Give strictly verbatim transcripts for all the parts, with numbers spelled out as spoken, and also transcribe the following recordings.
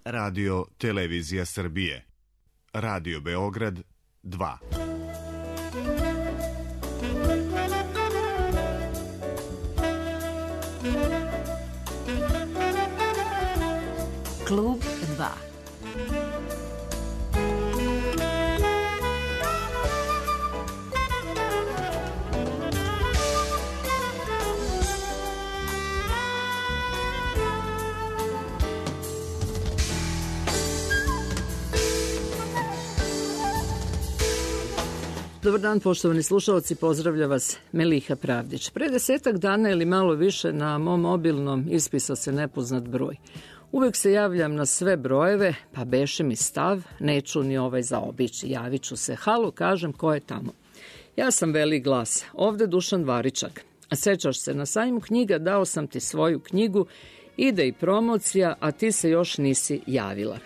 Radio Televizija Srbije. Radio Beograd dva. Klub dva. Dobar dan, poštovani slušalci, pozdravlja vas Meliha Pravdić. Pre desetak dana ili malo više na mom mobilnom ispisao se nepoznat broj. Uvek se javljam na sve brojeve, pa beše mi stav, neću ni ovaj zaobići. Javit ću se, halo, kažem, ko je tamo? Ja sam Veli glas, ovde Dušan Varičak. A sećaš se, na sajmu knjiga dao sam ti svoju knjigu, ide i promocija, a ti se još nisi javila.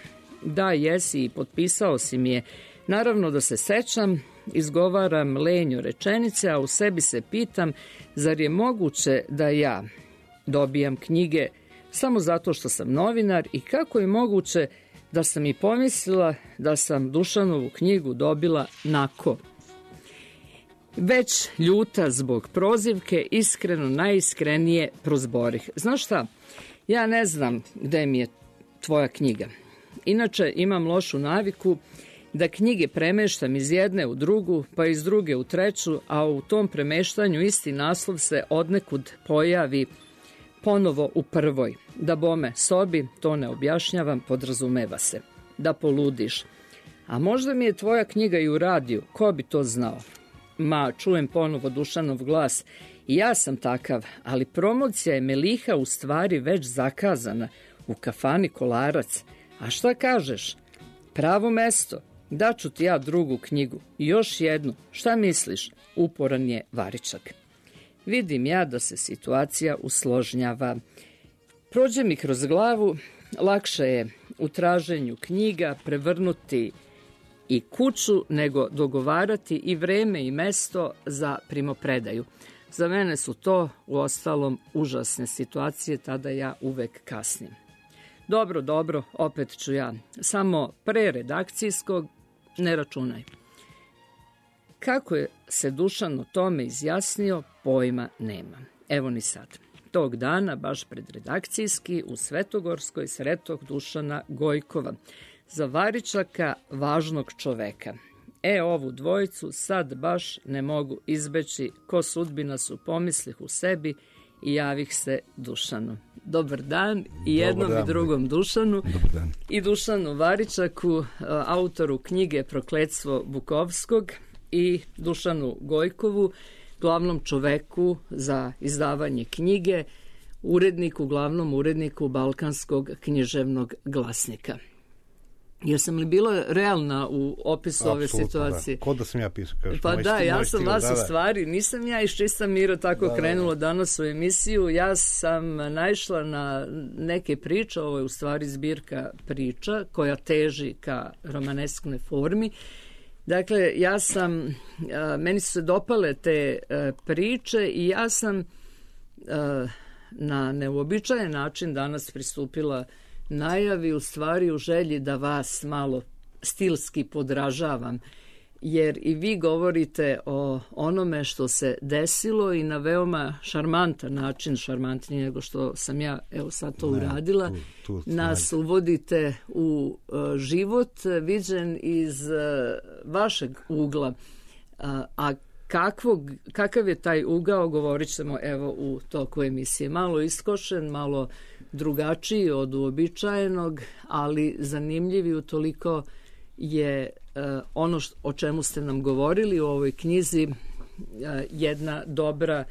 Da, jesi i potpisao si mi je. Naravno da se sećam, izgovaram lenju rečenice, a u sebi se pitam, zar je moguće da ja dobijam knjige samo zato što sam novinar i kako je moguće da sam i pomislila da sam Dušanovu knjigu dobila nako. Već ljuta zbog prozivke, iskreno, najiskrenije prozborih. Znaš šta, ja ne znam gde mi je tvoja knjiga. Inače imam lošu naviku da knjige premeštam iz jedne u drugu, pa iz druge u treću, a u tom premeštanju isti naslov se odnekud pojavi ponovo u prvoj. Da bome sobi, to ne objašnjavam, podrazumeva se. Da poludiš. A možda mi je tvoja knjiga i u radiju, ko bi to znao? Ma, čujem ponovo Dušanov glas. I ja sam takav, ali promocija je Meliha u stvari već zakazana u kafani Kolarac. A šta kažeš? Pravo mesto. Daću ti ja drugu knjigu. I još jednu. Šta misliš? Uporan je Varičak. Vidim ja da se situacija usložnjava. Prođe mi kroz glavu, lakše je u traženju knjiga prevrnuti i kuću nego dogovarati i vreme i mesto za primopredaju. Za mene su to u ostalom užasne situacije, tada ja uvek kasnim. Dobro, dobro, opet ću ja. Samo pre redakcijskog ne računaj. Kako je se Dušan o tome izjasnio, pojma nema. Evo ni sad. Tog dana, baš pred redakcijski, u Svetogorskoj sretog Dušana Gojkova. Za Varičaka važnog čoveka. E, ovu dvojicu sad baš ne mogu izbeći, ko sudbina su pomislih u sebi i javih se Dušanu. Dobar dan i jednom dan, i drugom Dušanu i Dušanu Varičaku, autoru knjige Prokletstvo Bukovskog i Dušanu Gojkovu, glavnom čoveku za izdavanje knjige, uredniku, glavnom uredniku Balkanskog književnog glasnika. Jesam li bila realna u opisu ove situacije? Da. Ko da sam ja pisao? Kažeš, pa da, stil, ja sam vas da, u stvari, nisam ja iz čista mira tako da, krenula danas u emisiju, ja sam naišla na neke priče, ovo je u stvari zbirka priča koja teži ka romanesknoj formi. Dakle, ja sam, meni su se dopale te priče i ja sam na neuobičajen način danas pristupila najavi, u stvari u želji da vas malo stilski podražavam, jer i vi govorite o onome što se desilo i na veoma šarmantan način, šarmantniji nego što sam ja evo sad to ne, uradila, tu, tu, nas uvodite u uh, život viđen iz uh, vašeg ugla, uh, a kakvog, kakav je taj ugao, govorit ćemo evo u toku emisije. Malo iskošen, malo drugačiji od uobičajenog, ali zanimljivi utoliko je uh, ono što, o čemu ste nam govorili u ovoj knjizi, uh, jedna dobra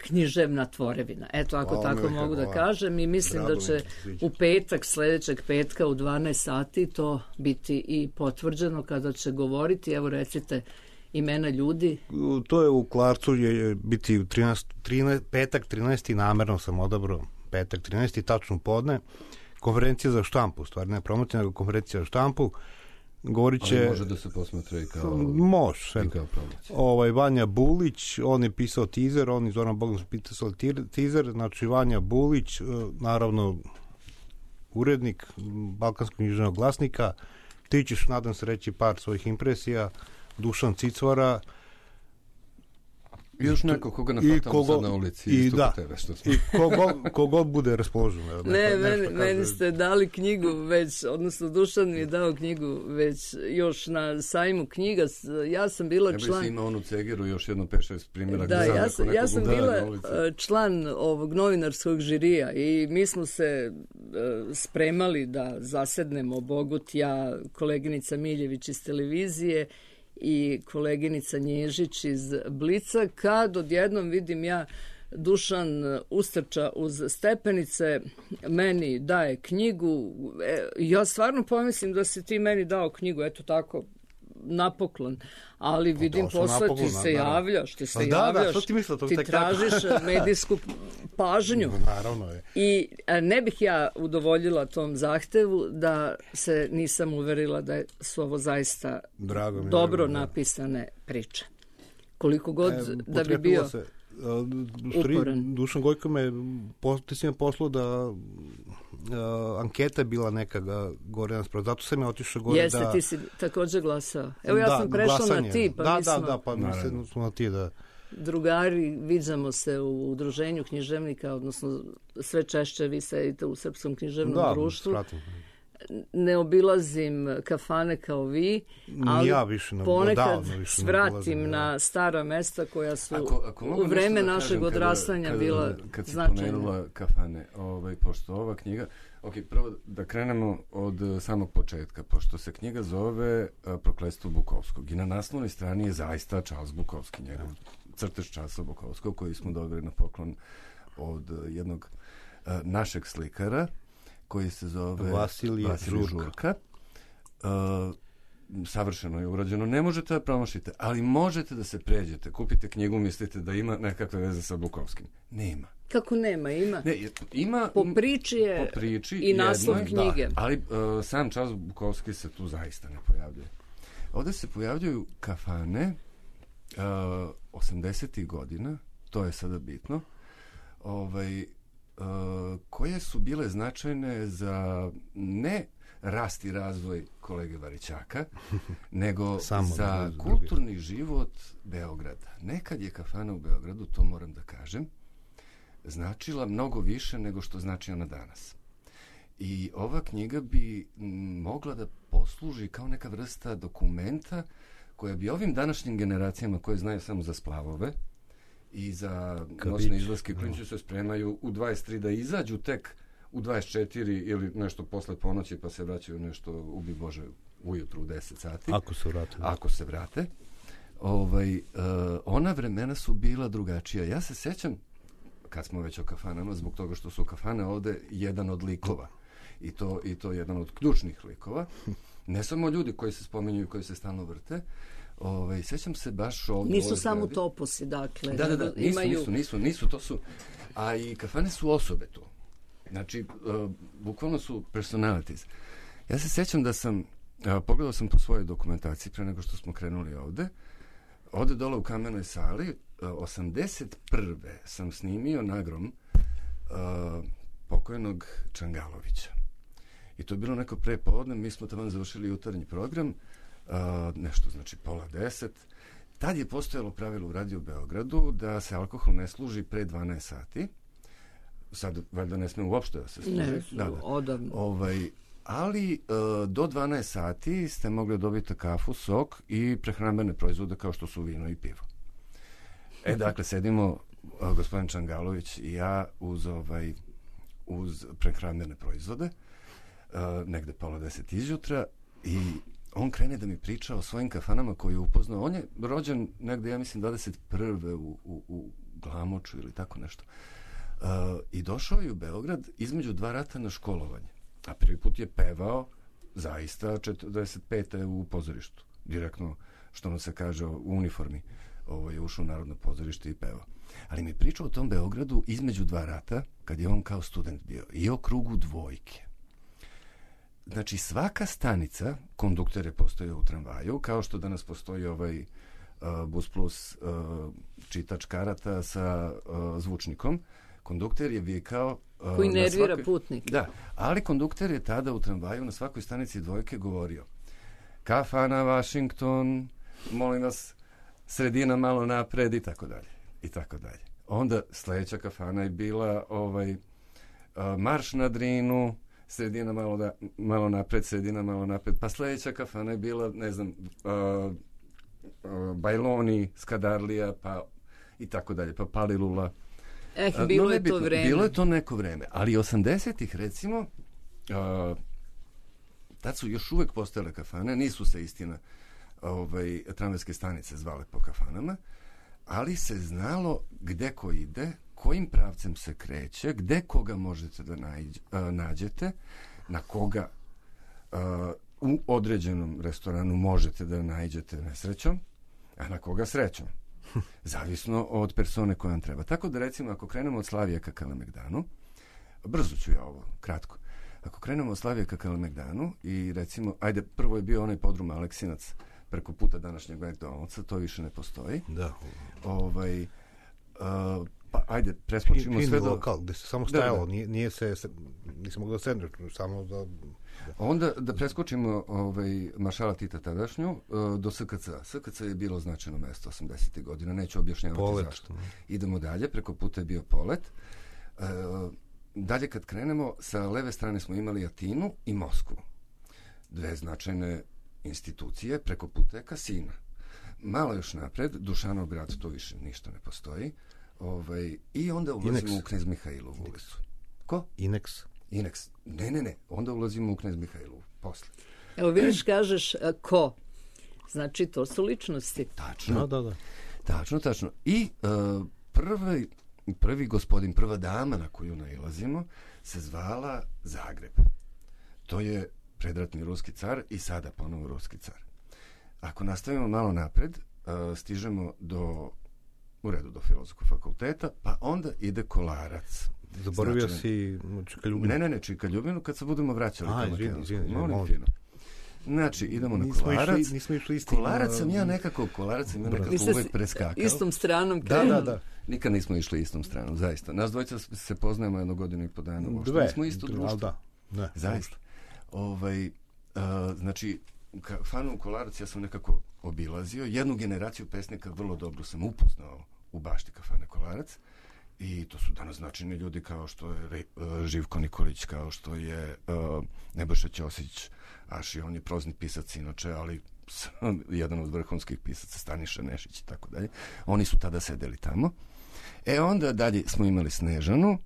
književna tvorevina. Eto, ako o, tako mogu hvala. Da kažem, i mislim Rado da će u petak, sledećeg petka u dvanaest sati to biti i potvrđeno kada će govoriti. Evo, recite imena ljudi. To je u Klarcu, je biti u trinaest, trinaest, petak trinaesti, namerno sam odabrao petak trinaesti, tačno podne, konferencija za štampu, stvar ne promocija, nego konferencija za štampu. Govorit će... Ali može da se posmatra i kao... Može. I kao promocija. Ovaj, Vanja Bulić, on je pisao teaser, on i Zoran Bogdan su pisali teaser, znači Vanja Bulić, naravno urednik Balkanskog književnog glasnika. Ti ćeš, nadam se, reći par svojih impresija. Dušan Cicvara. I još neko koga nafatamo sad na ulici. I, isto da, tebe, što smo. i kogo, kogod bude raspoložen. Ne, meni, meni ste dali knjigu već, odnosno Dušan mi je dao knjigu već još na sajmu knjiga. Ja sam bila ne član... Ne bi si imao onu cegeru, još jedno pet šest primjera. Da, ja sam, ja sam bila član ovog novinarskog žirija i mi smo se uh, spremali da zasednemo Bogut, ja, koleginica Miljević iz televizije i koleginica Nježić iz Blica, kad odjednom vidim ja Dušan ustrča uz stepenice, meni daje knjigu. E, ja stvarno pomislim da si ti meni dao knjigu, eto tako, napoklon, ali vidim posle ti se javljaš, ti se da, javljaš, da, ti, misla, ti tražiš medijsku pažnju. Naravno je. I ne bih ja udovoljila tom zahtevu da se nisam uverila da su ovo zaista Drago mi, dobro drago, napisane priče. Koliko god e, da bi bio se, uporan. Dušan Gojko me, ti si me poslao da uh, anketa je bila neka gore nas, zato sam je otišao gore. Jeste, da... ti si također glasao. Evo ja da, sam prešla glasanje. na ti, pa da, mi smo... Da, da, pa mi smo na ti, da. Drugari, viđamo se u udruženju književnika, odnosno sve češće vi sedite u Srpskom književnom da, društvu. Spratim. Ne obilazim kafane kao vi, ali ja više ne, ponekad više svratim ne na stara mesta koja su ako, ako u vreme da našeg kažem, odrastanja kada, bila kada, kad značajna. Kad si pomenula kafane, ovaj, pošto ova knjiga, ok, prvo da krenemo od samog početka, pošto se knjiga zove Prokletstvo Bukovskog i na naslovnoj strani je zaista Charles Bukovski, njegov crtež Charlesa Bukovskog, koji smo dobili na poklon od jednog uh, našeg slikara, koji se zove Vasilije, Vasilije Žurka. Žurka. Uh, savršeno je urađeno. Ne možete da promašite, ali možete da se pređete. Kupite knjigu, mislite da ima nekakve veze sa Bukovskim. Nema. Kako nema? Ima. Ne, ima po priči je po priči i naslov jednoj, knjige. Da, ali uh, sam Charles Bukovski se tu zaista ne pojavljuje. Ovdje se pojavljuju kafane uh, osamdesetih godina, to je sada bitno, ovaj, Uh, koje su bile značajne za ne rast i razvoj kolege Varićaka, nego za kulturni drugi. život Beograda. Nekad je kafana u Beogradu, to moram da kažem, značila mnogo više nego što znači ona danas. I ova knjiga bi m, mogla da posluži kao neka vrsta dokumenta koja bi ovim današnjim generacijama koje znaju samo za splavove i za noćne izlaske, klinci se spremaju u dvadeset tri da izađu tek u dvadeset četiri ili nešto posle ponoći pa se vraćaju nešto, ubi Bože, ujutru u deset sati. Ako se vrate. Ako se vrate. Ovaj, uh, ona vremena su bila drugačija. Ja se sećam, kad smo već o kafanama, zbog toga što su kafane ovde jedan od likova. I to, i to jedan od ključnih likova. Ne samo ljudi koji se spominju i koji se stalno vrte. Ovaj, sećam se baš ovdje... Nisu samo toposi, dakle. Da, da, da, nisu, imaju... nisu, nisu, nisu, to su... A i kafane su osobe tu. Znači, uh, bukvalno su personalities. Ja se sećam da sam, uh, pogledao sam po svojoj dokumentaciji pre nego što smo krenuli ovde, ovde dole u Kamenoj sali, uh, osamdeset prve sam snimio nagrom uh, pokojnog Čangalovića. I to je bilo neko pre podne, mi smo tamo završili jutarnji program, Uh, nešto, znači pola deset. Tad je postojalo pravilo u Radio Beogradu da se alkohol ne služi pre dvanaest sati. Sad, valjda ne sme uopšte da se služi. Ne, da, da. odavno. Ovaj, ali uh, do dvanaest sati ste mogli dobiti kafu, sok i prehrambene proizvode kao što su vino i pivo. E, dakle, sedimo uh, gospodin Čangalović i ja uz, ovaj, uz prehrambene proizvode, uh, negde pola deset izjutra i on krene da mi priča o svojim kafanama koje je upoznao. On je rođen negde, ja mislim, dvadeset prve u, u, u Glamoču ili tako nešto. Uh, I došao je u Beograd između dva rata na školovanje. A prvi put je pevao zaista četrdeset pete u pozorištu. Direktno, što mu se kaže, u uniformi. Ovo je ušao u Narodno pozorište i pevao. Ali mi pričao o tom Beogradu između dva rata, kad je on kao student bio. I o krugu dvojke. Znači, svaka stanica, kondukter je postojao u tramvaju, kao što danas postoji ovaj uh, Bus Plus uh, čitač karata sa uh, zvučnikom. Kondukter je vikao uh, Koji nervira svakoj, putnik. Da, ali kondukter je tada u tramvaju na svakoj stanici dvojke govorio: kafana Washington, molim vas, sredina malo napred i tako dalje. I tako dalje. Onda sledeća kafana je bila ovaj, uh, marš na Drinu, sredina malo, da, malo napred, sredina malo napred, pa sledeća kafana je bila, ne znam, uh, uh, Bajloni, Skadarlija, pa i tako dalje, pa Palilula. Eh, bilo no, je to vreme. Bilo je to neko vreme, ali osamdesetih recimo, uh, tad su još uvek postojale kafane, nisu se istina ovaj, tramvajske stanice zvale po kafanama, ali se znalo gde ko ide, kojim pravcem se kreće, gde koga možete da nađ, uh, nađete, na koga uh, u određenom restoranu možete da naiđete nesrećom, a na koga srećom. Zavisno od persone koja vam treba. Tako da recimo ako krenemo od Slavijeka ka Kalemegdanu, brzo ću ja ovo, kratko. Ako krenemo od Slavijeka ka Kalemegdanu i recimo, ajde, prvo je bio onaj podrum Aleksinac preko puta današnjeg McDonald'sa, to više ne postoji. Da. Ovaj, uh, pa ajde, preskočimo Fin, sve do... lokal, gde se samo stajalo, da, da. Nije, nije se, nisam mogao da sedneš, samo da... da. Onda da preskočimo ovaj, maršala Tita tadašnju uh, do S K C. S K C je bilo značajno mesto osamdesetih godina, neću objašnjavati Polet. zašto. Idemo dalje, preko puta je bio Polet. Uh, dalje kad krenemo, sa leve strane smo imali Atinu i Moskvu. Dve značajne institucije, preko puta je Kasina. Malo još napred, Dušanov grad, to više ništa ne postoji. Ovaj, I onda ulazimo Inex. u Knez Mihailovu ulicu. Ko? Inex. Inex. Ne, ne, ne. Onda ulazimo u Knez Mihailovu. Posle. Evo vidiš, kažeš a, ko? Znači, to su ličnosti. Tačno. Da, da, da. Tačno, tačno. I uh, prvi, prvi gospodin, prva dama na koju nailazimo se zvala Zagreb. To je predratni ruski car i sada ponovo ruski car. Ako nastavimo malo napred, uh, stižemo do, u redu, do Filozofskog fakulteta, pa onda ide Kolarac. Zaboravio Značajno. si Čika Ljubinu. Ne, ne, ne, Čika Ljubinu kad se budemo vraćali. A, izvini, izvini, molim fino. Znači, idemo na nismo Kolarac. Išli, nismo išli istim. Kolarac sam ja nekako, Kolarac sam ja nekako uvek preskakao. Istom stranom. Da, da, da. Nikad nismo išli istom stranom, zaista. Nas dvojica se poznajemo jednu godinu i po dana. Dve. Smo isto društvo. Da, ne. Zaista. Ovaj, uh, znači, kafanu Kolarac ja sam nekako obilazio. Jednu generaciju pesnika vrlo dobro sam upoznao u bašti kafane Kolarac. I to su danas značajni ljudi kao što je Re, uh, Živko Nikolić, kao što je uh, Nebojša Ćosić, Aši, on je prozni pisac inače, ali jedan od vrhunskih pisaca, Staniša Nešić i tako dalje. Oni su tada sedeli tamo. E onda dalje smo imali Snežanu,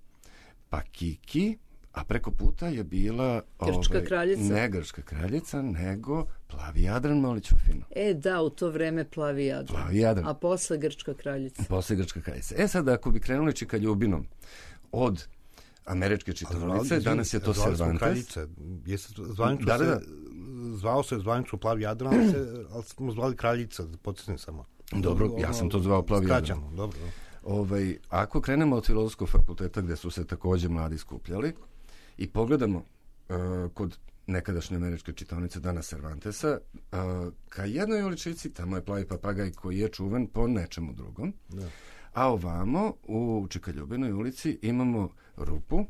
pa Kiki, a preko puta je bila Grčka ovaj, kraljica. Ne Grčka kraljica, nego Plavi Jadran, Moliću fino. E da, u to vreme Plavi Jadran. Plavi Jadran. A posle Grčka kraljica. Posle Grčka kraljica. E sad, ako bi krenuli Čika Ljubinom od američke čitaonice, danas je to Cervantes. Kraljica, jeste zvanično da, da, da. se, zvao se zvanično Plavi Jadran, ali, se, ali smo zvali kraljica, podsjetim samo. Dobro, ja sam to zvao Plavi Jadran. Skraćano, dobro. Ovaj, ako krenemo od Filozofskog fakulteta gde su se takođe mladi skupljali i pogledamo uh, kod nekadašnje američke čitaonice, danas Cervantesa, uh, ka jednoj uličici, tamo je Plavi papagaj koji je čuven po nečemu drugom. Da. A ovamo, u Čika Ljubinoj ulici, imamo Rupu.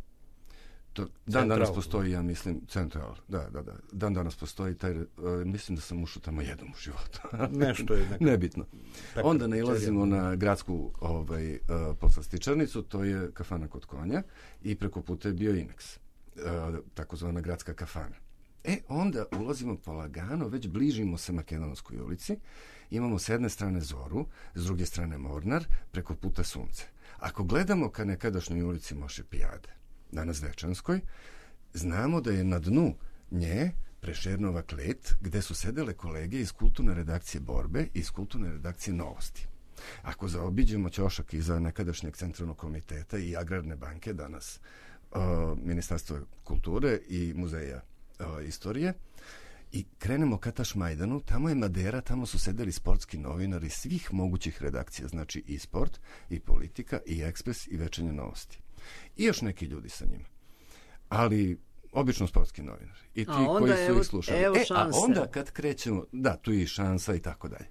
To, dan danas postoji, ja mislim, Central. Da, da, da. Dan danas postoji taj, uh, mislim da sam ušao tamo jednom u životu. Nešto je nekako. Nebitno. Onda nailazimo na gradsku ovaj, uh, poslastičarnicu, to je kafana kod konja i preko puta je bio Inex, uh, takozvana gradska kafana. E, onda ulazimo polagano, već bližimo se Makedonskoj ulici, imamo s jedne strane Zoru, s druge strane Mornar, preko puta Sunce. Ako gledamo ka nekadašnjoj ulici Moše Pijade, danas Dečanskoj, znamo da je na dnu nje Prešernova klet, gde su sedele kolege iz kulturne redakcije Borbe i iz kulturne redakcije Novosti. Ako zaobiđemo ćošak iza nekadašnjeg centralnog komiteta i agrarne banke, danas uh, Ministarstvo kulture i muzeja uh, istorije, i krenemo ka Tašmajdanu, tamo je Madera, tamo su sedeli sportski novinari svih mogućih redakcija, znači i Sport, i Politika, i Ekspres, i Večernje novosti. I još neki ljudi sa njima. Ali obično sportski novinari. I ti koji su evo, ih slušali. Evo e, šanse. A onda kad krećemo, da, tu je i Šansa i tako dalje.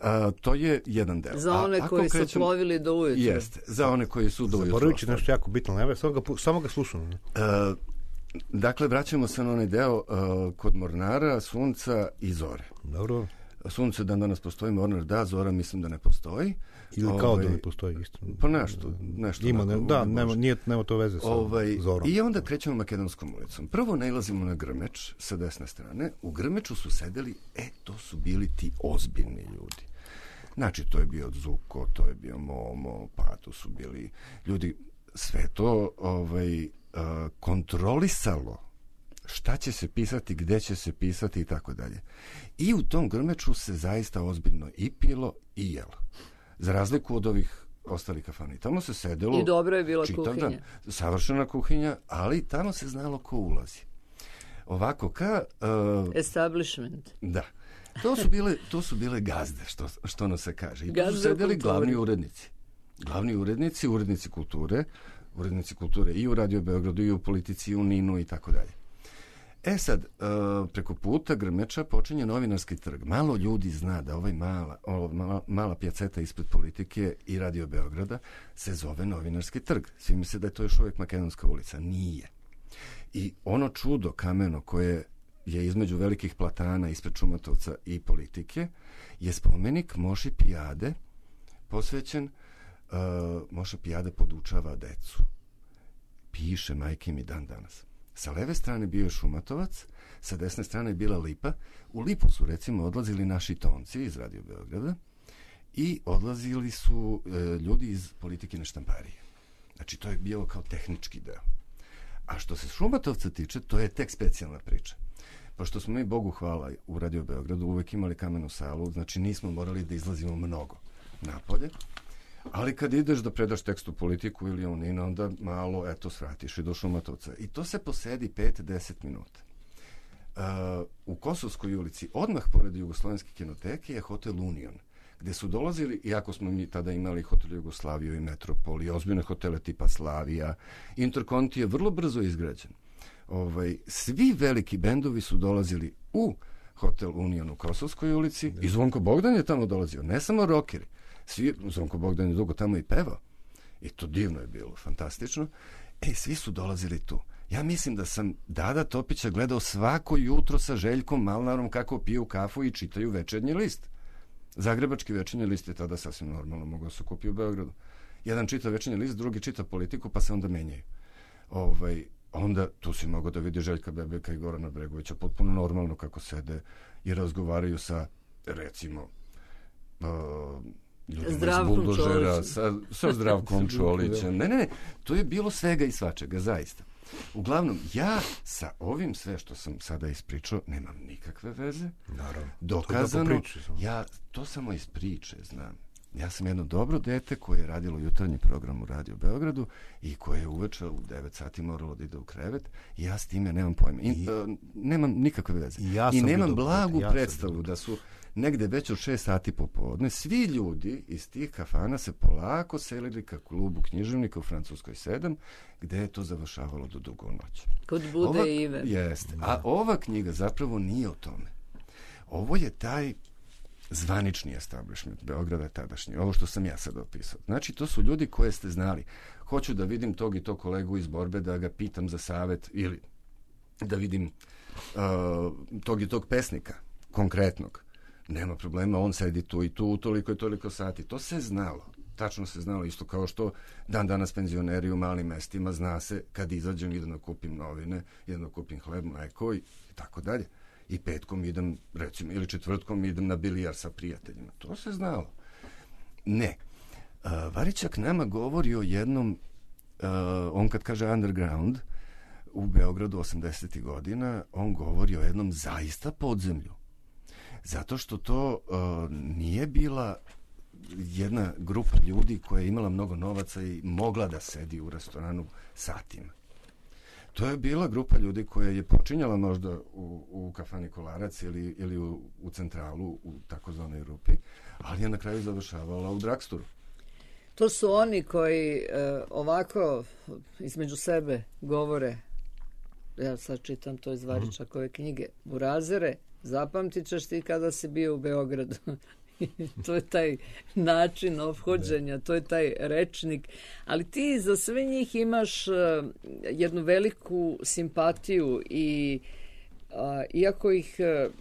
A, to je jedan deo. Za one a, koji krećem, su plovili do ujutru. Jeste, za one koji su do ujutru. Zaboravit nešto jako bitno, ne, samo ga, samo ga slušam. A, dakle, vraćamo se na onaj deo a, kod Mornara, Sunca i Zore. Dobro. Sunce dan danas postoji, Mornar da, Zora mislim da ne postoji. Ili kao ovaj, da ne postoji isto. Pa nešto, nešto. Ima, ne, da, nema, nije, nema to veze sa ovaj, Zorom. I onda krećemo Makedonskom ulicom. Prvo nailazimo na Grmeč sa desne strane. U Grmeču su sedeli, e, to su bili ti ozbiljni ljudi. Znači, to je bio Zuko, to je bio Momo, pa to su bili ljudi, sve to ovaj, uh, kontrolisalo šta će se pisati, gde će se pisati i tako dalje. I u tom Grmeču se zaista ozbiljno i pilo i jelo. Za razliku od ovih ostalih kafana. I tamo se sedelo... I dobro je bila čitav kuhinja. Dan, savršena kuhinja, ali tamo se znalo ko ulazi. Ovako, ka... Uh, Establishment. Da. To su bile, to su bile gazde, što, što ono se kaže. I tu su sedeli glavni urednici. Glavni urednici, urednici kulture, urednici kulture i u Radio Beogradu, i u Politici, i u Ninu i tako dalje. E sad, preko puta Grmeča počinje Novinarski trg. Malo ljudi zna da ovaj mala, ova mala, mala pjaceta ispred Politike i Radio Beograda se zove Novinarski trg. Svi misle da je to još uvijek Makedonska ulica. Nije. I ono čudo kameno koje je između velikih platana ispred Šumatovca i Politike je spomenik Moši Pijade, posvećen uh, Moša Pijade podučava decu. Piše majke mi dan danas. Sa leve strane bio je Šumatovac, sa desne strane je bila Lipa. U Lipu su recimo odlazili naši tonci iz Radio Beograda i odlazili su e, ljudi iz Politikine štamparije. Znači to je bilo kao tehnički deo. A što se Šumatovca tiče, to je tek specijalna priča. Pošto smo mi, Bogu hvala, u Radio Beogradu uvek imali kamenu salu, znači nismo morali da izlazimo mnogo napolje. Ali kad ideš da predaš tekst u Politiku ili u Nino, onda malo, eto, svratiš i do Šumatovca. I to se posedi pet do deset minuta. Uh, u Kosovskoj ulici, odmah pored Jugoslovenske kinoteke, je hotel Union, gde su dolazili, iako smo mi tada imali hotel Jugoslaviju i Metropol i ozbiljne hotele tipa Slavija, Interkonti je vrlo brzo izgrađen. Ovaj, svi veliki bendovi su dolazili u hotel Union u Kosovskoj ulici i Zvonko Bogdan je tamo dolazio, ne samo rokeri. Svi, Zvonko Bogdan je dugo tamo i pevao. I to divno je bilo, fantastično. E, svi su dolazili tu. Ja mislim da sam Dada Topića gledao svako jutro sa Željkom Malnarom kako piju kafu i čitaju Večernji list. Zagrebački Večernji list je tada sasvim normalno, mogao se kupi u Beogradu. Jedan čita Večernji list, drugi čita Politiku, pa se onda menjaju. Ovaj, onda tu si mogao da vidi Željka Bebeka i Gorana Bregovića potpuno normalno kako sede i razgovaraju sa, recimo, uh, ljudima iz Buldožera, sa, sa Zdravkom Čolićem. Ne, ne, ne, to je bilo svega i svačega, zaista. Uglavnom, ja sa ovim sve što sam sada ispričao nemam nikakve veze. Naravno. Dokazano, ja to samo iz priče znam. Ja sam jedno dobro dete koje je radilo jutarnji program u Radio Beogradu i koje je uveče u devet sati moralo da ide u krevet i ja s time nemam pojma. I, I, uh, nemam nikakve veze. I, ja I nemam blagu ja predstavu da su negde već od šest sati popodne svi ljudi iz tih kafana se polako selili ka klubu književnika u Francuskoj sedam, gde je to završavalo do dugo u noć. Kod Bude ova, i Ive. Jeste. A ova knjiga zapravo nije o tome. Ovo je taj zvanični establishment Beograda tadašnji, ovo što sam ja sad opisao. Znači, to su ljudi koje ste znali. Hoću da vidim tog i tog kolegu iz borbe, da ga pitam za savet ili da vidim uh, tog i tog pesnika, konkretnog. Nema problema, on sedi tu i tu, toliko i toliko sati. To se znalo. Tačno se znalo, isto kao što dan danas penzioneri u malim mestima zna se kad izađem, idem da kupim novine, idem da kupim hleb, mleko i tako dalje. I petkom idem, recimo, ili četvrtkom idem na bilijar sa prijateljima. To se znalo. Ne. Uh, Varićak nama govori o jednom, uh, on kad kaže underground, u Beogradu osamdesetih godina, on govori o jednom zaista podzemlju. Zato što to uh, nije bila jedna grupa ljudi koja je imala mnogo novaca i mogla da sedi u restoranu satima. To je bila grupa ljudi koja je počinjala možda u, u kafani Kolarac ili, ili u, u centralu, u takozvanoj Rupi, ali je na kraju završavala u Dragsturu. To su oni koji e, ovako između sebe govore, ja sad čitam to iz Varičakove knjige, Burazere, zapamtit ćeš ti kada si bio u Beogradu. To je taj način ophođenja, to je taj rečnik. Ali ti za sve njih imaš uh, jednu veliku simpatiju i uh, iako ih uh,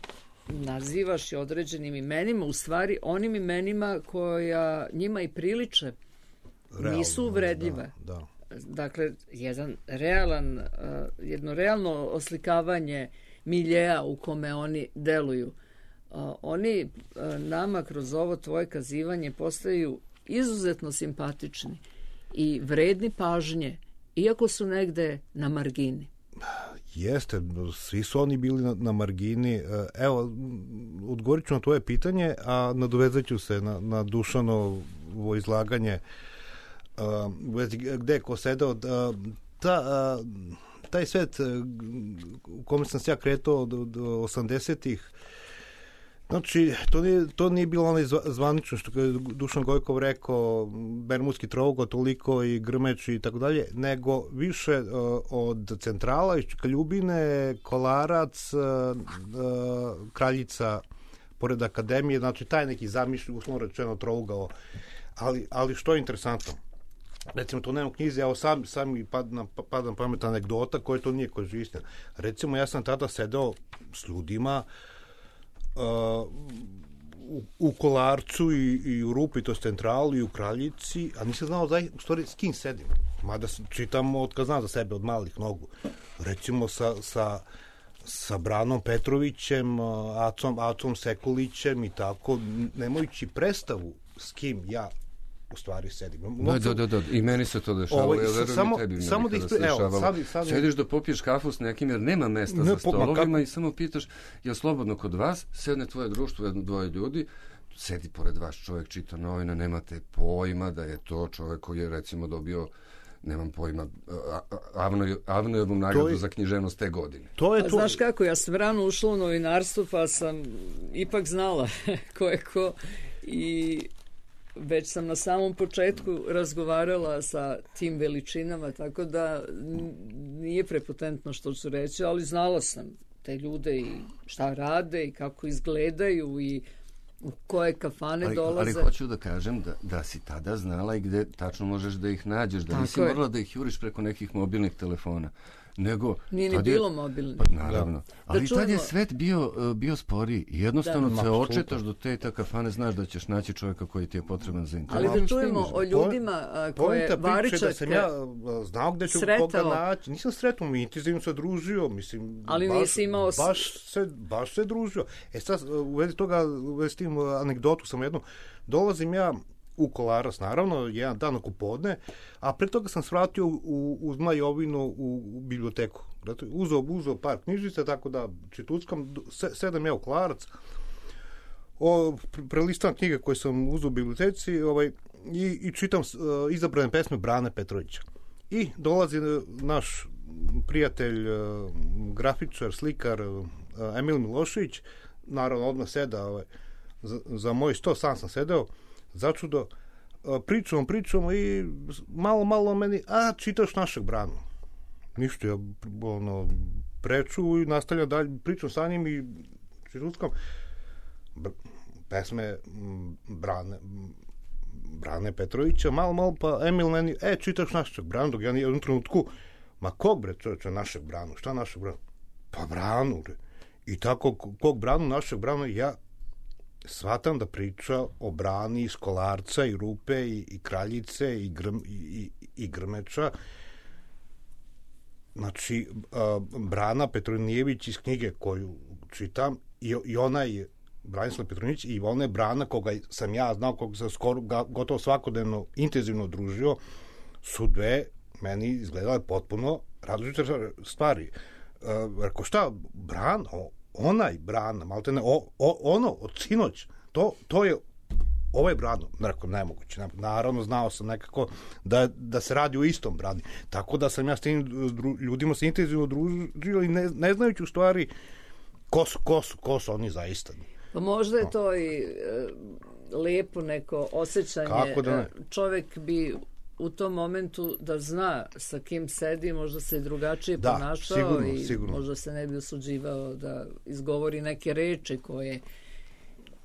nazivaš i određenim imenima, u stvari onim imenima koja njima i priliče, realno, nisu uvredljive. Da, da. Dakle, jedan realan, uh, jedno realno oslikavanje miljeja u kome oni deluju. Uh, oni uh, nama kroz ovo tvoje kazivanje postaju izuzetno simpatični i vredni pažnje, iako su negde na margini. Jeste, svi su oni bili na, na margini. Evo, odgovorit ću na tvoje pitanje, a nadovezat ću se na, na Dušanovo izlaganje uh, gde je ko sedao. Uh, ta, uh, taj svet uh, u kome sam se ja kretao do, do osamdesetih, znači, to nije, to nije bilo onaj zvanično što je Dušan Gojkov rekao, Bermudski trougo toliko i Grmeč i tako dalje, nego više uh, od centrala, iz Čikaljubine, Kolarac, uh, uh, Kraljica, pored akademije, znači taj neki zamišlj, uslovno rečeno trougao. Ali, ali što je interesantno? Recimo, to nema u knjizi, evo sam, sam mi padam, padam pamet anegdota koja to nije koja je istina. Recimo, ja sam tada sedeo s ljudima Uh, u, u Kolarcu i, i u Rupi, to je centralu, i u Kraljici, a nisam znao da, u stvari s kim sedim. Mada čitam od kad znam za sebe od malih nogu. Recimo sa, sa, sa Branom Petrovićem, Acom, Acom Sekulićem i tako, nemajući predstavu s kim ja u stvari sedim. Da, da, da, da, i meni se to dešava. Ovo, ja samo, tebi samo da ispre... Evo, sad, sad... Sediš da popiješ kafu s nekim jer nema mesta ne, za stolovima po, i samo pitaš, je slobodno kod vas, sedne tvoje društvo, jedno, dvoje ljudi, sedi pored vas čovjek, čita novine, nemate pojma da je to čovjek koji je recimo dobio, nemam pojma, Avnojevu nagradu je, za književnost te godine. To je to. Znaš kako, ja sam rano ušla u novinarstvo, pa sam ipak znala ko je ko i već sam na samom početku razgovarala sa tim veličinama, tako da nije prepotentno što ću reći, ali znala sam te ljude i šta rade i kako izgledaju i u koje kafane ali, dolaze. Ali hoću da kažem da, da si tada znala i gde tačno možeš da ih nađeš, da tako nisi je. Morala da ih juriš preko nekih mobilnih telefona. Nego, nije ni bilo mobilno. Pa, naravno. Da. Ali da tad je svet bio, bio sporiji. Jednostavno da. se očetaš do te ta kafane, znaš da ćeš naći čovjeka koji ti je potreban za interes. Ali da čujemo o ljudima a, koje Varičak da sam ja znao gde ću sretao. Koga naći. Nisam sretao, mi intenzivno se družio. Mislim, ali baš, nisi imao... Baš se, baš se družio. E sad, u vezi toga, u vezi tim anegdotu sam jednu, dolazim ja u Kolarac, naravno, jedan dan oko podne, a pre toga sam svratio u, u Zmajovinu u, u biblioteku. Dakle, uzeo, uzeo par knjižica, tako da čituckam, sedam ja u Kolarac, o, prelistam knjige koje sam uzeo u biblioteci ovaj, i, i čitam uh, izabrane pesme Brane Petrovića. I dolazi naš prijatelj, uh, grafičar, slikar uh, Emil Milošević, naravno odmah seda ovaj, za, za moj sto, sam sam sedeo, začudo, pričamo, pričamo i malo, malo meni, a čitaš našeg Branu. Ništa, ja ono, preču i nastavljam dalje, pričam sa njim i čituckam pesme Brane, Brane Petrovića, malo, malo, pa Emil meni, e, čitaš našeg Branu, dok ja nije u jednom trenutku, ma kog bre, čovječe, našeg Branu, šta našeg Branu? Pa Branu, bre. I tako, kog Branu, našeg Branu, ja shvatam da priča o Brani iz Kolarca i Rupe i, i Kraljice i, grm, i, i, i Grmeča. Znači, a, Brana Petronijević iz knjige koju čitam i, i ona je Branislav Petronijević i ona je Brana koga sam ja znao, koga sam skoro ga, gotovo svakodnevno intenzivno družio, su dve meni izgledale potpuno različite stvari. A, rekao, šta, Brana, onaj Brana, malte ne, o, o, ono od sinoć, to, to je ovaj Brano, rekao, nemoguće, naravno znao sam nekako da, da se radi o istom Brani, tako da sam ja s tim ljudima se intenzivno družio i ne, ne znajući u stvari ko su, ko su, ko su oni zaista. Pa možda je to i e, lepo neko osjećanje, da čovjek bi u tom momentu da zna sa kim sedi, možda se drugačije da, ponašao sigurno, i sigurno. Možda se ne bi osuđivao da izgovori neke reči koje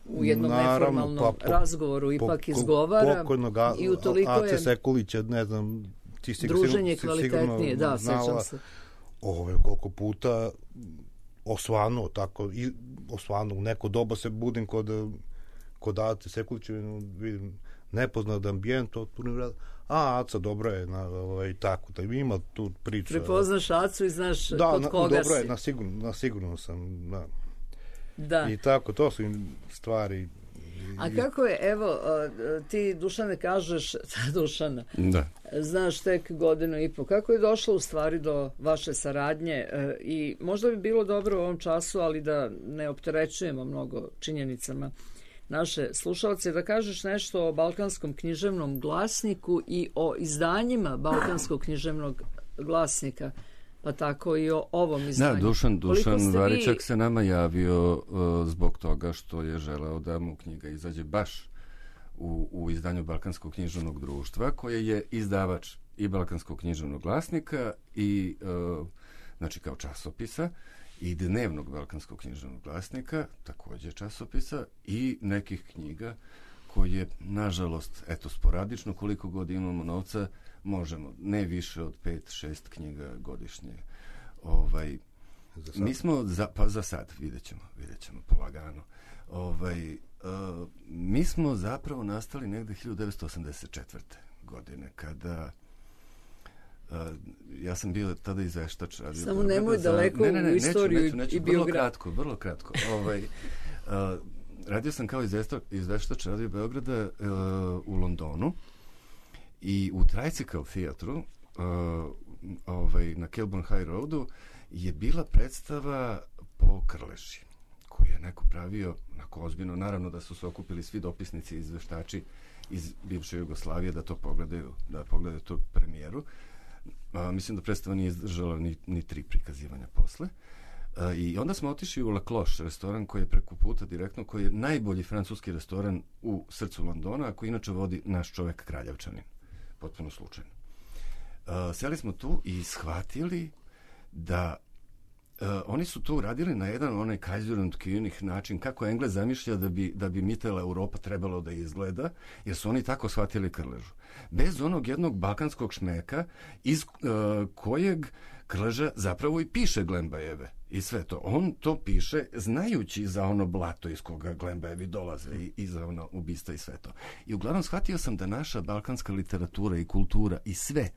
u jednom Naravno, neformalnom pa, po, razgovoru ipak po, izgovara. Pokojnog i utoliko Ace je Sekulića, ne znam, ti si druženje si kvalitetnije, da, znala, sećam se. Ove, koliko puta osvanuo, tako, i osvanuo, u neko doba se budim kod, kod Ace Sekulića, vidim, nepoznat ambijent, otpunim rad, a, Aca, dobro je, na, ovaj, tako, da ima tu priču. Prepoznaš Acu i znaš da, kod na, koga dobro si. Je, na sigurno, na sigurno sam, da. Da. I tako, to su im stvari. A kako je, evo, ti, Dušane, kažeš, Dušana, da. Znaš tek godinu i po, kako je došlo u stvari do vaše saradnje i možda bi bilo dobro u ovom času, ali da ne opterećujemo mnogo činjenicama naše slušalce, da kažeš nešto o Balkanskom književnom glasniku i o izdanjima Balkanskog književnog glasnika, pa tako i o ovom izdanju. Da, Dušan, Dušan Varičak vi... se nama javio uh, zbog toga što je želeo da mu knjiga izađe baš u, u izdanju Balkanskog književnog društva, koje je izdavač i Balkanskog književnog glasnika i uh, znači kao časopisa i dnevnog Balkanskog književnog glasnika, također časopisa, i nekih knjiga koje, nažalost, eto, sporadično, koliko god imamo novca, možemo, ne više od pet, šest knjiga godišnje. Ovaj, mi smo, za, pa za sad, vidjet ćemo, vidjet ćemo polagano. Ovaj, uh, mi smo zapravo nastali negde hiljadu devetsto osamdeset četvrte. godine, kada uh, ja sam bio tada izveštač. Samo nemoj daleko ne, ne, ne, u istoriju neću, neću, neću, i vrlo biografiju. kratko, vrlo kratko. Ovaj, uh, radio sam kao izveštač Radio Beograda uh, u Londonu i u Tricycle Theatru uh, ovaj, na Kilburn High Roadu je bila predstava po Krleži, koju je neko pravio onako ozbiljno. Naravno da su se okupili svi dopisnici i izveštači iz bivše Jugoslavije da to pogledaju, da pogledaju tu premijeru. A, mislim da predstava nije izdržala ni, ni tri prikazivanja posle. A, I onda smo otišli u La Cloche, restoran koji je preko puta direktno, koji je najbolji francuski restoran u srcu Londona, a koji inače vodi naš čovek Kraljevčanin. Potpuno slučajno. A, seli smo tu i shvatili da Uh, oni su to uradili na jedan onaj Kaiser und König način, kako Englez zamišlja da bi, da bi Mittel Europa trebalo da izgleda, jer su oni tako shvatili Krležu. Bez onog jednog balkanskog šmeka iz uh, kojeg Krleža zapravo i piše Glembajeve i sve to. On to piše znajući za ono blato iz koga Glembajevi dolaze i, i za ono ubistva i sve to. I uglavnom shvatio sam da naša balkanska literatura i kultura i sve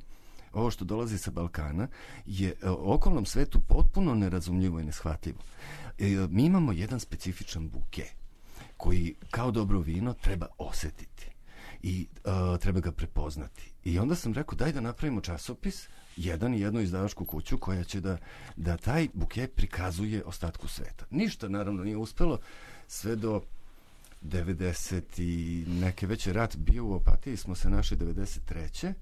ovo što dolazi sa Balkana je okolnom svetu potpuno nerazumljivo i neshvatljivo. E, mi imamo jedan specifičan buke koji kao dobro vino treba osetiti i uh, treba ga prepoznati. I onda sam rekao daj da napravimo časopis, jedan i jednu izdavačku kuću koja će da, da taj buke prikazuje ostatku sveta. Ništa naravno nije uspelo sve do devedeset i neke već je rat bio u Opatiji, smo se našli devedeset treće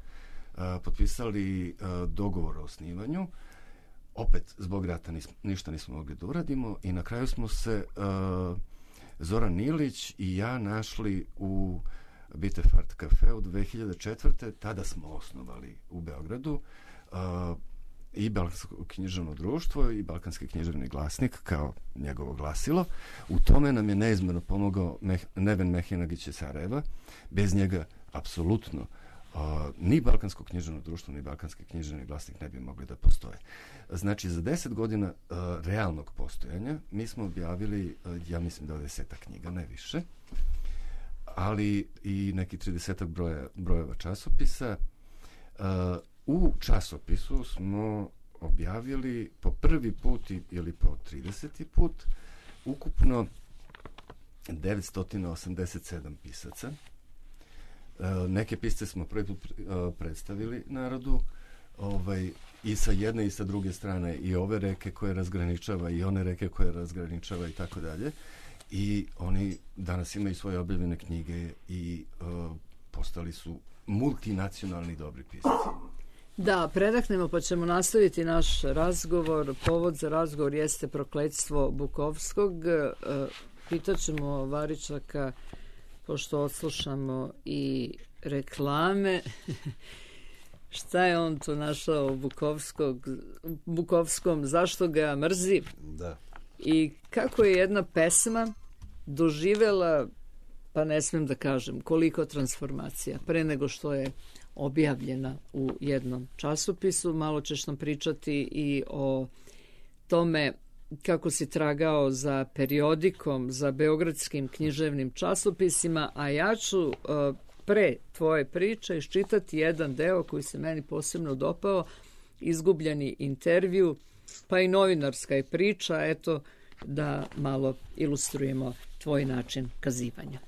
Uh, potpisali uh, dogovor o osnivanju. Opet, zbog rata nismo, ništa nismo mogli da uradimo i na kraju smo se uh, Zoran Ilić i ja našli u Bitefart kafeu dve hiljade četvrte. Tada smo osnovali u Beogradu uh, i Balkansko književno društvo i Balkanski književni glasnik kao njegovo glasilo. U tome nam je neizmjerno pomogao Meh, Neven Mehinagić iz Sarajeva. Bez njega apsolutno Uh, ni Balkansko književno društvo, ni Balkanski književni glasnik ne bi mogli da postoje. Znači, za deset godina uh, realnog postojanja mi smo objavili, uh, ja mislim, dvadesetak knjiga, ne više, ali i neki tridesetak broja, brojeva časopisa. Uh, u časopisu smo objavili po prvi put ili po trideseti put ukupno devetsto osamdeset sedam pisaca. Uh, neke pisce smo prvi put uh, predstavili narodu, ovaj, i sa jedne i sa druge strane, i ove reke koje razgraničava i one reke koje razgraničava i tako dalje. I oni danas imaju svoje objavljene knjige i uh, postali su multinacionalni dobri pisci. Da, predahnemo pa ćemo nastaviti naš razgovor. Povod za razgovor jeste prokletstvo Bukovskog. Uh, pitaćemo Varičaka, pošto odslušamo i reklame, šta je on tu našao u Bukovskog, Bukovskom, zašto ga mrzi? Da. I kako je jedna pesma doživela, pa ne smem da kažem koliko transformacija pre nego što je objavljena u jednom časopisu. Malo ćeš nam pričati i o tome kako si tragao za periodikom, za beogradskim književnim časopisima, a ja ću pre tvoje priče iščitati jedan deo koji se meni posebno dopao, izgubljeni intervju, pa i novinarska je priča, eto da malo ilustrujemo tvoj način kazivanja.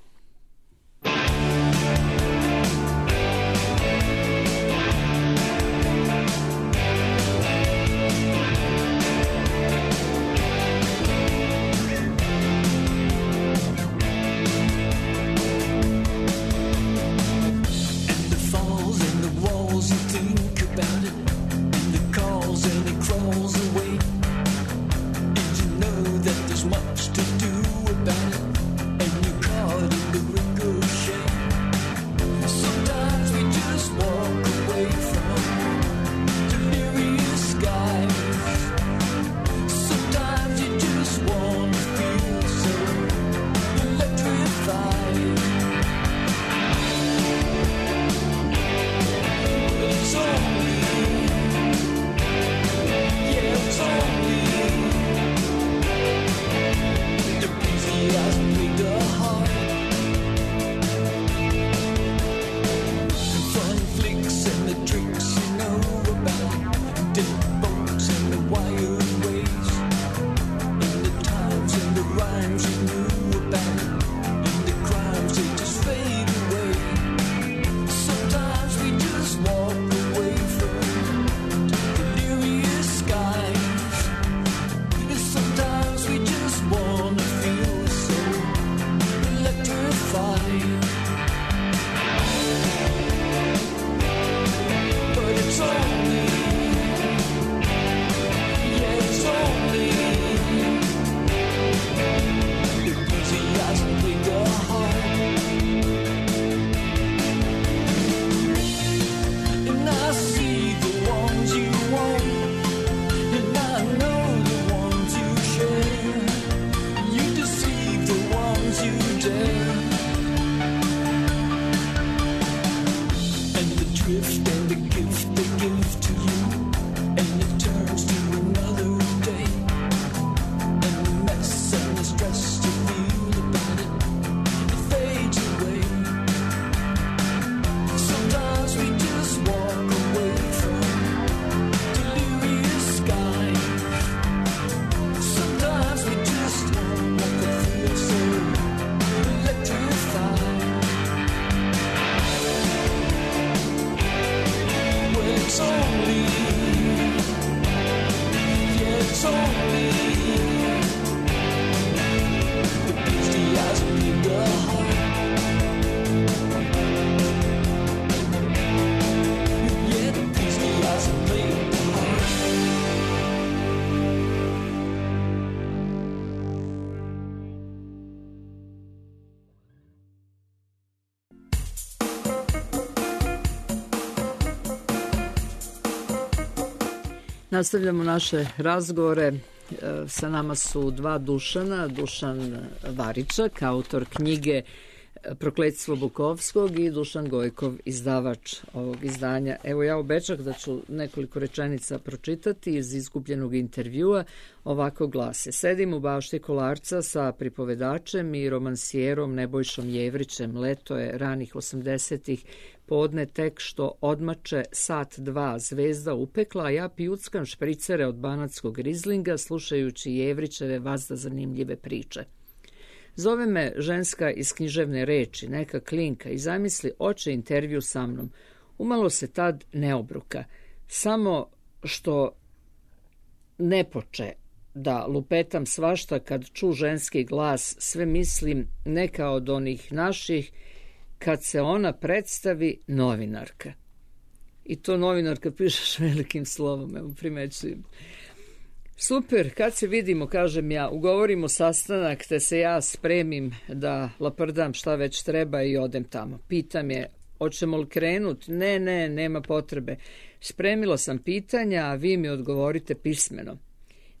Nastavljamo naše razgovore. Sa nama su dva Dušana. Dušan Varičak, autor knjige Prokletstvo Bukovskog, i Dušan Gojkov, izdavač ovog izdanja. Evo, ja obećah da ću nekoliko rečenica pročitati iz izgubljenog intervjua. Ovako glase: sedim u bašti Kolarca sa pripovedačem i romansijerom Nebojšom Jevrićem. Leto je ranih osamdesetih, podne tek što odmače sat dva, zvezda upekla, a ja pijuckam špricere od banatskog rizlinga, slušajući Jevrićeve vazda zanimljive priče. Zove me ženska iz književne reči, neka klinka, i zamisli oče intervju sa mnom. Umalo se tad ne obruka, samo što ne poče da lupetam svašta kad ču ženski glas, sve mislim neka od onih naših, kad se ona predstavi novinarka. I to novinarka pišeš velikim slovom, evo primećujem. Super, kad se vidimo, kažem ja, ugovorimo sastanak, te se ja spremim da laprdam šta već treba i odem tamo. Pitam je, hoćemo li krenut? Ne, ne, nema potrebe. Spremila sam pitanja, a vi mi odgovorite pismeno.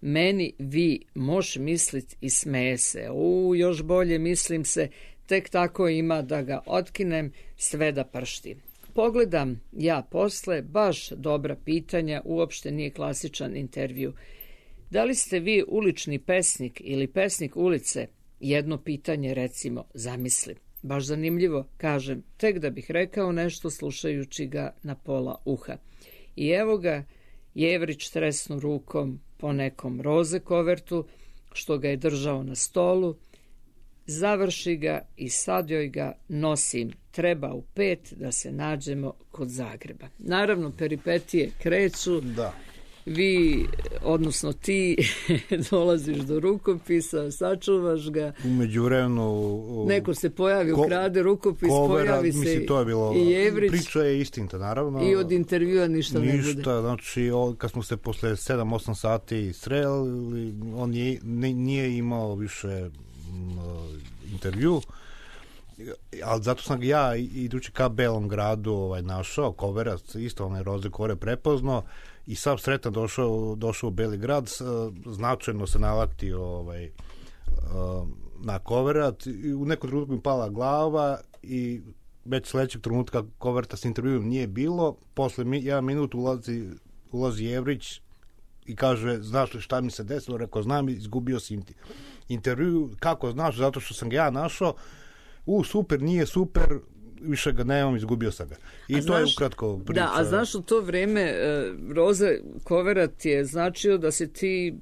Meni vi moš mislit i smeje se. U, još bolje mislim se, tek tako ima da ga otkinem sve da pršti. Pogledam ja posle, baš dobra pitanja, uopšte nije klasičan intervju. Da li ste vi ulični pesnik ili pesnik ulice? Jedno pitanje recimo, zamislim. Baš zanimljivo, kažem, tek da bih rekao nešto slušajući ga na pola uha. I evo ga, Jevrić tresnu rukom po nekom roze kovertu, što ga je držao na stolu, završi ga i sad joj ga nosim. Treba u pet da se nađemo kod Zagreba. Naravno, peripetije kreću. Da. Vi, odnosno ti, dolaziš do rukopisa, sačuvaš ga. U međuvremenu... Neko se pojavi, ko, ukrade rukopis, kovera, pojavi se mislim, to je bilo, i Jevrić. Priča je istinita, naravno. I od intervjua ništa, ništa ne bude. Ništa, znači, kad smo se posle sedam osam sati sreli, on je, ne, nije imao više m, intervju, ali zato sam ga ja, idući ka Belom gradu, ovaj, našao, koverac, isto onaj roze kovere prepoznao, i sam sretan došao, došao u Beli grad, značajno se nalaktio ovaj, na koverat, i u nekom trenutku mi pala glava i već sledećeg trenutka koverta s intervjuom nije bilo. Posle mi, jedan minut ulazi, ulazi Jevrić i kaže, znaš li šta mi se desilo? Rekao, znam, izgubio si intervju. Kako znaš? Zato što sam ga ja našao. U, super, nije super, više ga nemam, izgubio sam ga. I a to znaš, je ukratko priča. Da, a znaš, u to vreme uh, Roze koverat je značio da se ti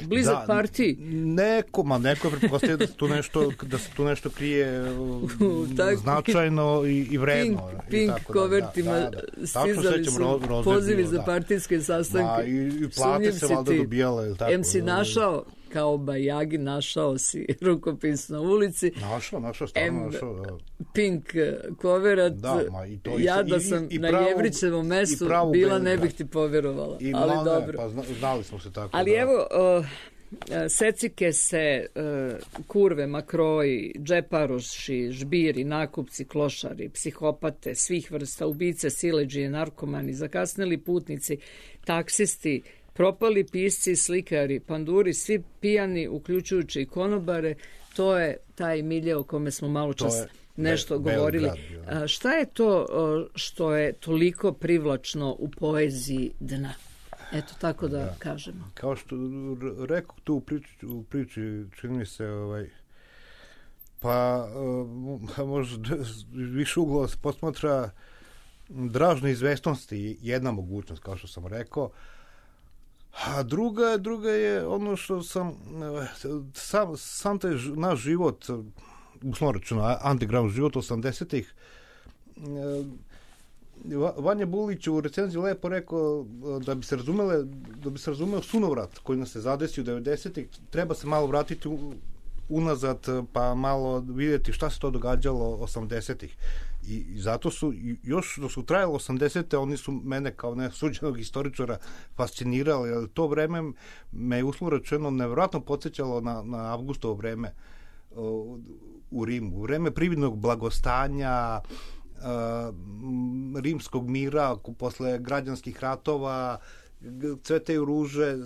blizak da, partiji. Neko, ma neko je pretpostavio da se tu nešto, da se tu nešto krije tak, značajno i, i vredno. Pink, pink i tako kovertima da, da, da. stizali su ro, roze pozivi bio, za da. partijske sastanke. Ma, i, i plate se valjda dobijale. Tako, em si našao, kao Bajagi, našao si rukopis na ulici. Našao, našao, stvarno našao. Da. Pink koverat. Da, ma, i to, ja da i, sam i, i na pravu, Jevrićevom mestu bila, ne bih ti povjerovala. I ali mlade, dobro. Pa zna, znali smo se tako. Ali da. evo, uh, secike se, uh, kurve, makroji, džeparoši, žbiri, nakupci, klošari, psihopate, svih vrsta, ubice, sileđije, narkomani, zakasneli putnici, taksisti, propali pisci, slikari, panduri, svi pijani, uključujući i konobare, to je taj milje o kome smo malo čas nešto be, govorili. A, šta je to što je toliko privlačno u poeziji dna? Eto, tako da, da. kažemo. Kao što rekao tu u priči, u priči čini mi se, ovaj, pa uh, možda više uglova se posmatra dražne izvestnosti, jedna mogućnost, kao što sam rekao. A druga, druga je ono što sam sam, sam taj naš život, uslovno rečeno underground život osamdesetih, Vanja Bulić u recenziji lepo rekao da bi se razumele, da bi se razumeo sunovrat koji nas se zadesio u devedesetih, treba se malo vratiti u, unazad pa malo vidjeti šta se to događalo osamdesetih. I, i zato su, još dok su trajalo osamdesete, oni su mene kao nesuđenog istoričara fascinirali, ali to vreme me je uslovno rečeno nevjerojatno podsjećalo na, na Avgustovo vreme uh, u Rimu. U vreme prividnog blagostanja, uh, rimskog mira, posle građanskih ratova, cvetaju ruže,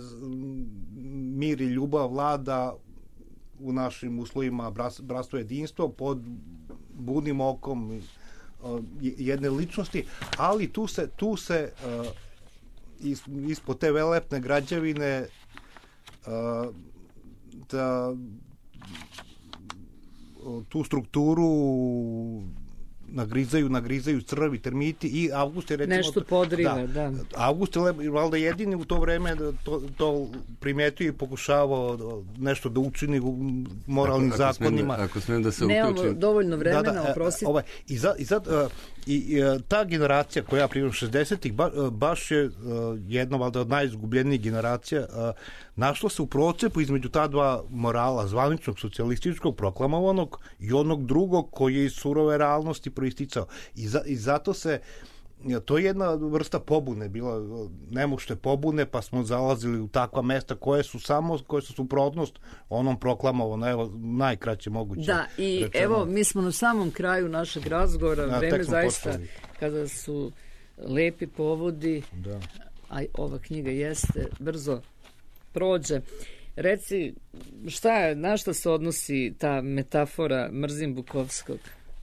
mir i ljubav vlada u našim uslovima, bratstvo jedinstvo, pod budnim okom jedne ličnosti, ali tu se, tu se uh, is, ispod te velepne građevine uh, da tu strukturu nagrizaju, nagrizaju crvi, termiti i Avgust je recimo... Nešto podriva, da. da. Avgust je valjda jedini u to vreme to, to primetio i pokušavao nešto da učini u moralnim ako, ako zakonima. Smijem, ako smijem da se uključim... Nemamo dovoljno vremena, da, da, oprostite. Ovaj, I, za, i, za, uh, i, i ta generacija koja prije šezdesetih ba, baš je uh, jedna valjda od najizgubljenijih generacija uh, našla se u procepu između ta dva morala, zvaničnog socijalističkog proklamovanog i onog drugog koji je iz surove realnosti proisticao. I, za, i zato se to je jedna vrsta pobune bila, nemušte pobune, pa smo zalazili u takva mesta koje su samo, koje su suprotnost onom proklamovano, evo, najkraće moguće. Da, i rečeno. Evo, mi smo na samom kraju našeg razgovora, da, vreme zaista, počeli. Kada su lepi povodi, da. A ova knjiga jeste brzo prođe. Reci, šta je, na šta se odnosi ta metafora mrzim Bukovskog?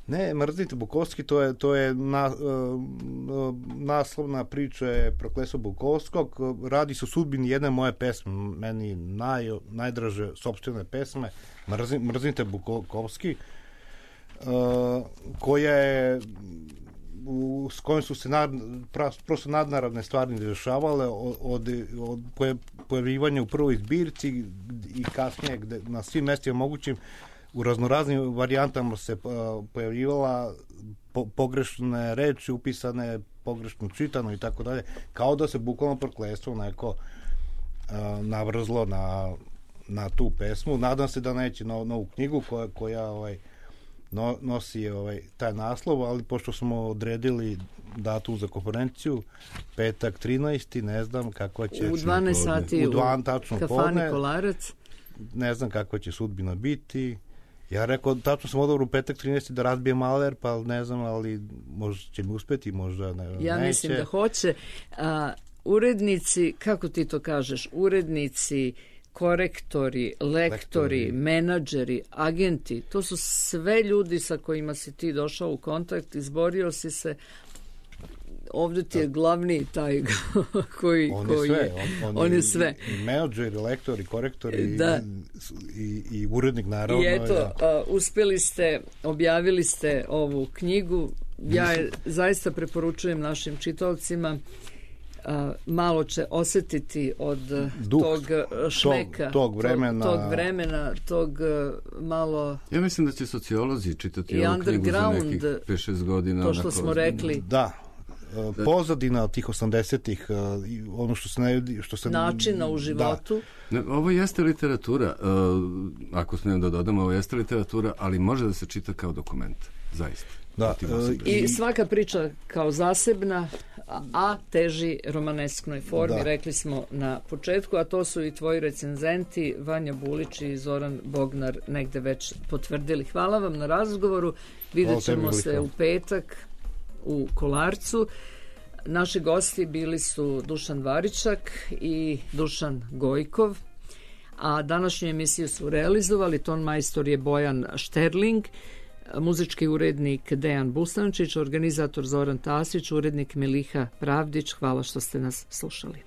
Ne, mrzite Bukovski, to je, to je na, uh, naslovna priča je Prokletstvo Bukovskog. Radi se o sudbini jedne moje pesme, meni naj, najdraže sopstvene pesme, Mrzim, Mrzite Bukovski, uh, koja je u, s kojim su se nad, prosto nadnaravne stvari dešavale od, od, od pojavljivanja u prvoj zbirci i kasnije gde, na svim mestima mogućim u raznoraznim varijantama se pojavljivala po, pogrešne reči upisane, pogrešno čitano i tako dalje, kao da se bukvalno prokletstvo neko uh, navrzlo na, na tu pesmu. Nadam se da neće na novu knjigu koja, koja ovaj, no, nosi ovaj, taj naslov, ali pošto smo odredili datum za konferenciju, petak trinaesti, ne znam kakva će... U dvanaest sati u, u kafani Kolarac. Ne znam kakva će sudbina biti. Ja rekao, tačno sam odobro u petak trinaesti da razbije maler, pa ne znam, ali možda će mi uspeti, možda ne, ja neće. Mislim da hoće. A, urednici, kako ti to kažeš, urednici, korektori, lektori, lektori, menadžeri, agenti, to su sve ljudi sa kojima si ti došao u kontakt, izborio si se. Ovdje ti je glavni taj koji, on koji je sve. je, on, on, on je, je sve. I menadžeri, lektori, korektori da. i, i, i urednik naravno. I eto, ja. a, uspjeli ste, objavili ste ovu knjigu. Ja je zaista preporučujem našim čitaocima. A, malo će osjetiti od Duh, tog šmeka, tog, tog vremena, tog, tog vremena, tog malo... Ja mislim da će sociolozi čitati ovu knjigu za nekih pet šest godina. To što smo rekli. Da, pozadina tih osamdesetih, ono što se ne... Što se, načina u životu. Da. Ne, ovo jeste literatura, ako smijem da dodam, ovo jeste literatura, ali može da se čita kao dokument, zaista. Da, i svaka priča kao zasebna, a teži romanesknoj formi, da. Rekli smo na početku, a to su i tvoji recenzenti Vanja Bulić i Zoran Bognar negde već potvrdili. Hvala vam na razgovoru, vidjet ćemo se u petak u Kolarcu. Naši gosti bili su Dušan Varičak i Dušan Gojkov, a današnju emisiju su realizovali ton majstor je Bojan Šterling, muzički urednik Dejan Bustančić, organizator Zoran Tasić, urednik Miliha Pravdić. Hvala što ste nas slušali.